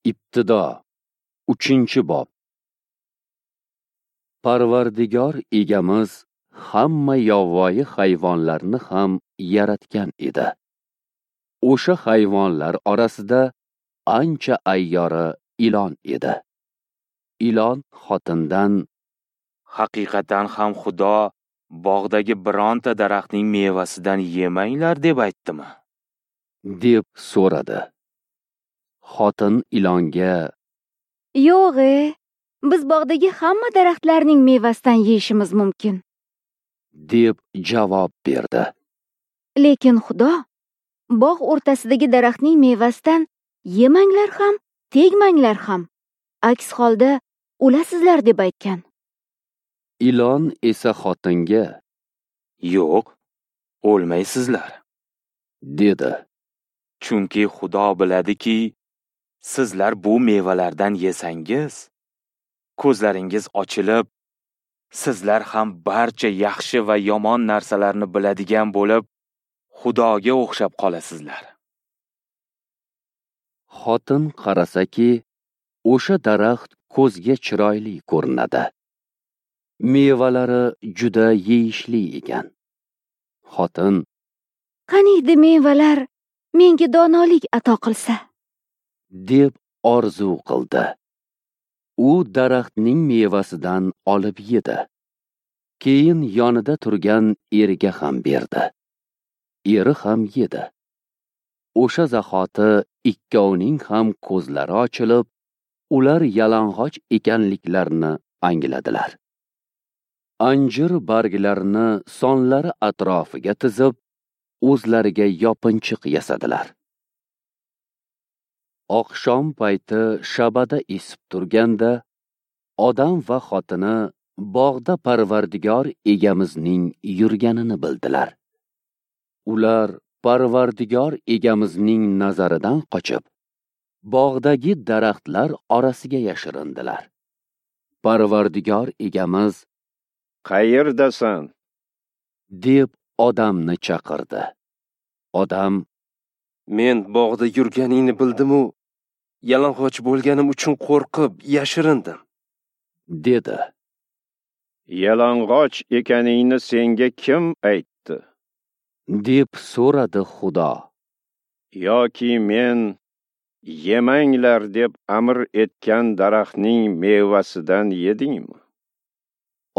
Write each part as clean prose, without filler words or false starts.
Ibtido 3-bob. Parvardigor egamiz hamma yovvoyi hayvonlarni ham yaratgan edi. O'sha hayvonlar orasida ancha ayyori ilon edi. Ilon xotindan: "Haqiqatan ham Xudo bog'dagi bironta daraxtning mevasidan yemanglar deb aytdimi?" deb so'radi. Xotin ilonga: "Yo'q, biz bog'dagi hamma daraxtlarning mevasidan yeyishimiz mumkin", deb javob berdi. "Lekin Xudo bog' o'rtasidagi daraxtning mevasidan yemanglar ham, tegmanglar ham, aks holda o'lasizlar deb aytgan." Ilon esa xotinga: "Yo'q, o'lmaysizlar", dedi. "Chunki Xudo biladiki, sizlar bu mevalardan yesangiz, ko'zlaringiz ochilib, sizlar ham barcha yaxshi va yomon narsalarni biladigan bo'lib, Xudoga o'xshab qolasizlar." Xotin qarasaki, o'sha daraxt ko'zga chiroyli ko'rinadi. Mevalari juda yeyishli ekan. Xotin: "Qaniydi mevalar menga donolik ato qilsa", deb orzu qildi. U daraxtning mevasidan olib yedi. Keyin yonida turgan eriga ham berdi. Eri ham yedi. O'sha zahoti ikkovining ham ko'zlari ochilib, ular yalang'och ekanliklarini angladilar. Anjir barglarini sonlari atrofiga tizib, o'zlariga yopinchiq yasadilar. Oqshom payti shabada esib turganda, odam va xotini bog'da Parvardigor egamizning yurganini bildilar. Ular Parvardigor egamizning nazaridan qochib, bog'dagi daraxtlar orasiga yashirindilar. Parvardigor egamiz: "Qayerdasan?" deb odamni chaqirdi. Odam: "Men bog'da yurganingni bildim-u, yalang'och bo'lganim uchun qo'rqib yashirindim", dedi. "Yalang'och ekaningni senga kim aytdi?" deb so'radi Xudo. "Yoki men yemanglar deb amr etgan daraxtning mevasidan yedingmi?"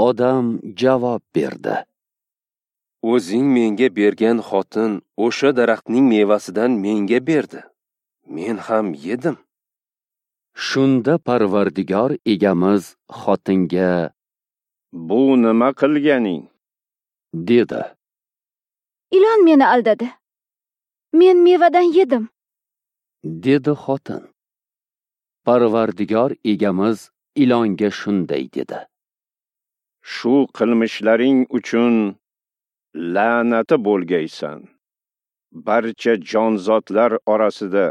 Odam javob berdi: "O'zing menga bergan xotin o'sha daraxtning mevasidan menga berdi. Men ham yedim." Shunda Parvardigor egamiz xotinga: "Bu nima qilganing?" dedi. "Ilon meni aldadi. Men mevadan yedim", dedi xotin. Parvardigor egamiz ilonga shunday dedi: "Shu qilmishlaring uchun la'nati bo'lgaysan. Barcha jonzotlar orasida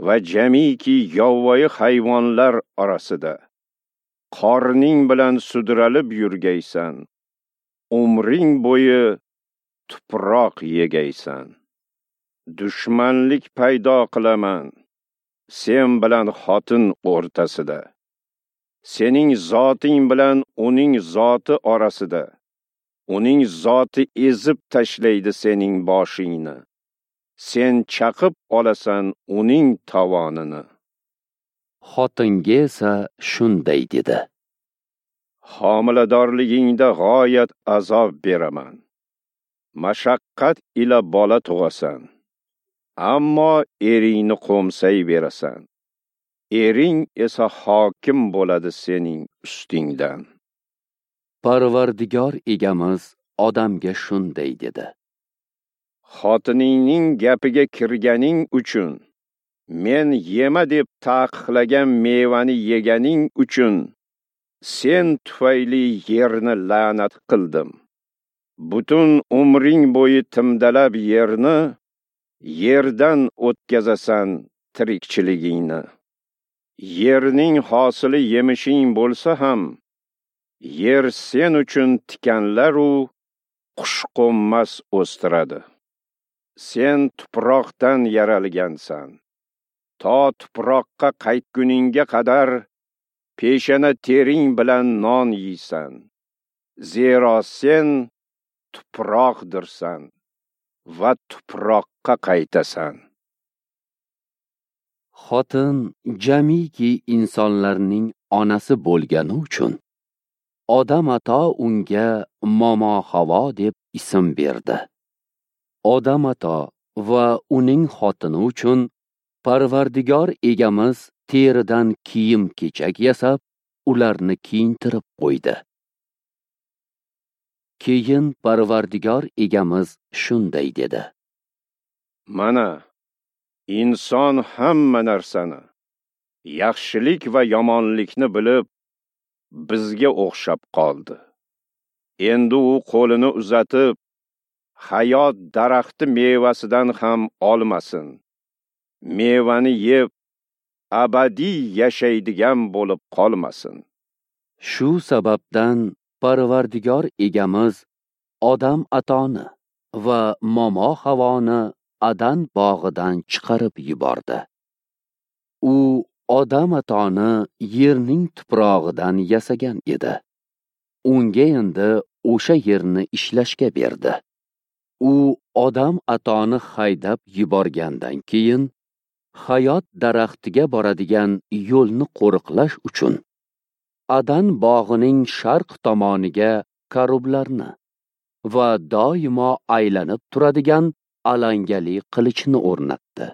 va jamiki yovvoyi hayvonlar orasida qorning bilan sudralib yurgaysan. Umring bo'yi tuproq yegaysan. Dushmanlik paydo qilaman sen bilan xotin o'rtasida, sening zoting bilan uning zoti orasida. Uning zoti ezib tashlaydi sening boshingni, sen chaqib olasan uning tovonini." Xotinga esa shunday dedi: "Homiladorligingda g'oyat azob beraman. Mashaqqat ila bola tug'asan, ammo eringni qo'msay berasan. Ering esa hokim bo'ladi sening ustingdan." Parvardigor egamiz odamga shunday dedi: "Xotiningning gapiga kirganing uchun, men yema deb taqiqlagan mevani yeganing uchun sen tufayli yerni la'nat qildim. Butun umring bo'yi timdalab yerni, yerdan o'tkazasan tirikchiligingni. Yerning hosili yemishing bo'lsa ham, yer sen uchun tikanlar-u qushqo'nmas o'stiradi. Sen tuproqdan yaralgansan. To tuproqqa qaytguningga qadar peshana tering bilan non yeysan. Zero sen tuproqdirsan va tuproqqa qaytasan. Xotin jamiki insonlarning onasi bo'lgani uchun Odam ato unga Momo Havo deb ism berdi. Odam ato va uning xotini uchun Parvardigor egamiz teridan kiyim-kechak yasab, ularni kiyintirib qo'ydi. Keyin Parvardigor egamiz shunday dedi: Mana, inson hamma narsani, yaxshilik va yomonlikni bilib, bizga o'xshab qoldi. Endi u qo'lini uzatib, hayot daraxti mevasidan ham olmasin. Mevani yeb, abadiy yashaydigan bo'lib qolmasin. Shu sababdan Parvardigor egamiz Odam atoni va Momo Havoni Adan bog'idan chiqarib yubordi. U Odam atoni yerning tuprog'idan yasagan edi. Unga endi o'sha yerni ishlashga berdi. U Odam atoni haydab yuborgandan keyin hayot daraxtiga boradigan yo'lni qo'riqlash uchun Adan bog'ining sharq tomoniga karublarni va doimo aylanib turadigan alangali qilichni o'rnatdi.